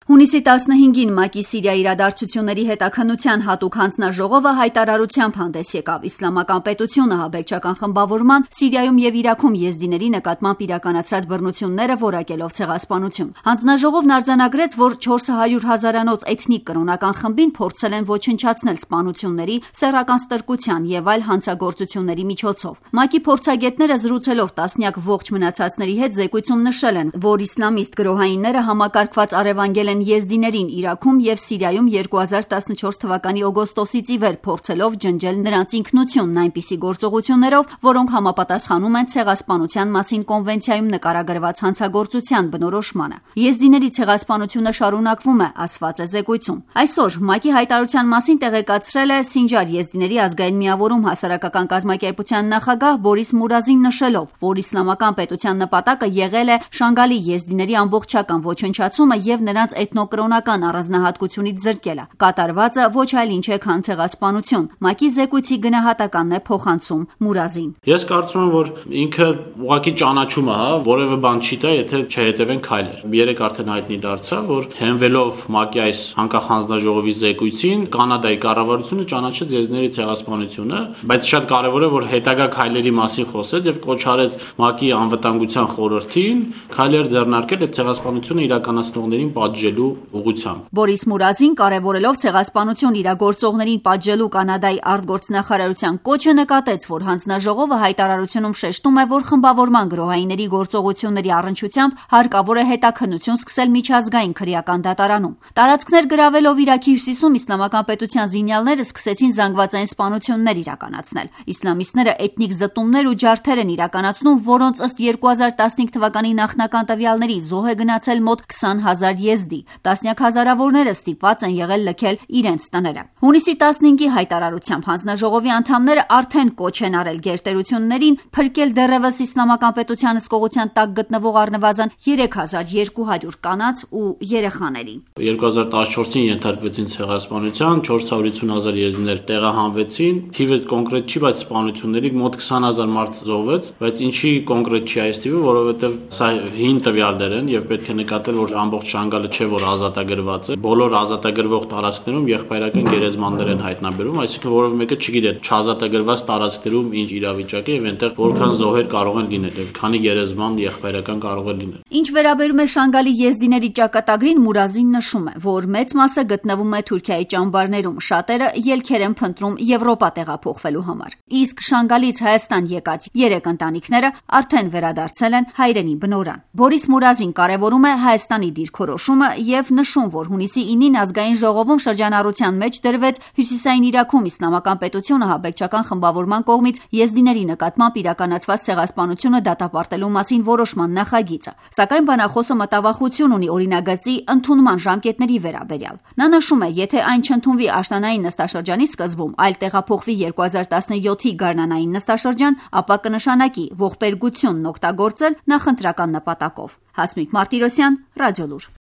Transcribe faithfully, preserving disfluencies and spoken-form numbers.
Հունիսի տասնհինգին ՄԱԿ-ի Սիրիա իրադարձությունների հետաքննության հատուկ հանձնաժողովը հայտարարությամբ հանդես եկավ իսլամական պետությունը ահաբեկչական խմբավորման Սիրիայում եւ Իրաքում եզդիների նկատմամբ իրականացրած բռնությունները որակելով ցեղասպանություն։ Հանձնաժողովն արձանագրեց, որ չորս հարյուր հազարանոց էթնիկ կրոնական խմբին փորձել են ոչնչացնել սպանությունների, սեռական ստրկության եւ այլ հանցագործությունների միջոցով։ ՄԱԿ-ի փորձագետները զրուցելով տասնյակ ողջ մնացածների հետ զեկույցում նշել են, որ իսլամիստ գրոհայինները համակարգված առևանգել են եզդիներին Իրաքում եւ Սիրիայում երկու հազար տասնչորս թվականի օգոստոսից ի վեր փորձելով ջնջել նրանց ինքնությունն այնպիսի գործողություններով, որոնք համապատասխանում են ցեղասպանության մասին կոնվենցիայում նկարագրված հանցագործության բնորոշմանը։ Եզդիների ցեղասպանությունը շարունակվում է, ասված է զեկույցում։ Այսօր ՄԱԿ-ի հայտարարության մասին տեղեկացրել է Սինջար եզդիների ազգային միավորում հասարակական կազմակերպության նախագահ Բորիս Մուրազին նշելով, որ իսլամական պետության նպատակը եղել է Շանգալի եզդիների ամբողջական ոչնչացումը եւ նրանց էթնոկրոնական առանձնահատկությունից զրկելը։ Կատարվածը ոչ այլ ինչ է, քան ցեղասպանություն։ ՄԱԿ-ի զեկույցի գնահատականն է փոխանցում Մուրազին։ Ես կարծում եմ, որ ինքը ուղղակի ճանաչում է, հա, որևէ բան չի տա, եթե չհետևեն քայլեր։ Երեք արդեն հայտնի դարձավ, որ հենվելով ՄԱԿ-ի այս անկախ հանձնաժողովի զեկույցին, Կանադայի կառավարությունը ճանաչեց եզդիների ցեղասպանությունը, բայց շատ կարևոր է, որ հետագա քայլերի մասին խոսեց եւ կոչ արեց ՄԱԿ-ի անվտանգության խորհրդին քայլեր ձեռնարկել այդ ցեղասպանությունը իրականացնողներին պատժելու ուղղությամբ։ Բորիս Մուրազին կարևորելով ցեղասպանություն իրագործողներին պատժելու Կանադայի արտգործնախարարության կոչը նկատեց, որ հանձնաժողովը հայտարարությունում շեշտում է, որ խմբավորման գրոհայինների գործողությունների առնչությամբ հարկավոր է հետաքննություն սկսել միջազգային քրեական դատարանում։ Տարածքներ գրավելով Իրաքի հյուսիսում իսլամական պետության զինյալները սկսեցին զանգվածային սպանություններ իրականացնել։ Իսլամիստները էթնիկ զտումներ ու ջարդեր են իրականացնում, որոնց ըստ երկու հազար տասնհինգ թվականի նախնական տվյալների զոհ է գնացել մոտ քսան հազար եզդի։ Տասնյակ հազարավորները ստիպված են եղել լքել իրենց տները։ Հունիսի տասնհինգի հայտարարությամբ հանձնաժողովի անդամները արդեն կոչ են արել գերտերություններին փրկել դեռևս իսլամական պետության հսկողության տակ գտնվող առնվազն երեք հազար երկու հարյուր կանանց ու երեխաների։ երկու հազար տասնչորսին ենթարկվեցին ցեղասպանության, չորս հարյուր ութ հազար եզդիներ տեղահանվեցին։ Թիվը կոնկրետ չի, բայց սպանությունների մոտ քսան հազար մարդ զոհվեց, բայց ինչի կոնկրետ չի այս թիվը, որովհետև սա հին տվյալներ են եւ պետք է նկատել, որ ամբողջ Շանգալը չէ, որ ազատագրված է։ Բոլոր ազատագրվող տարածքներում եղբայրական գերեզմաններ են հայտնաբերվում, այսինքն որևէ մեկը չգիտի չազատագրված տարածքներում ինչ իրավիճակ է եւ այնտեղ որքան զոհեր կարող են լինել եւ քանի գերեզման եղբայրական կարող է լինել։ Ինչ վերաբերում է Շանգալի եզդիների ճակատագրին, Մուրազին նշում է, որ մեծ մասը գտնվում է Թուրքիայի ճամբարներում, շատերը ելքեր են փնտրում Եվրոպա տեղափոխվելու համար։ Իսկ Շանգալից Հայաստան եկած երեք ընտանիքները արդեն վերադարձել են հայրենի բնօրան։ Բորիս Մուրազին կարևորում է Հայաստանի դիրքորոշումը եւ նշում, որ հունիսի ինին ազգային ժողովում շրջանառության մեջ դրվեց Հյուսիսային Իրաքում իսլամական պետությունը ահաբեկչական խմբավորման կողմից եզդիների նկատմամբ իրականացված ցեղասպանությունը դատապարտելու մասին որոշման նախագիծը։ Սակայն բանախոսը մտավախություն ունի օրինագծի ընդունման ժամկետների վերաբերյալ։ Նա նշում է, եթե այն չընդունվի աշնանային նստաշրջանի սկզբում, այլ տեղափոխվի երկու հազար տասնյոթի գարնանային նստաշրջան, ապա կնշանակի ողբերգությունն օգտագործել նախընտրական նպատակով։ Հասմիկ Մարտիրոսյան, Ռադիոլուր։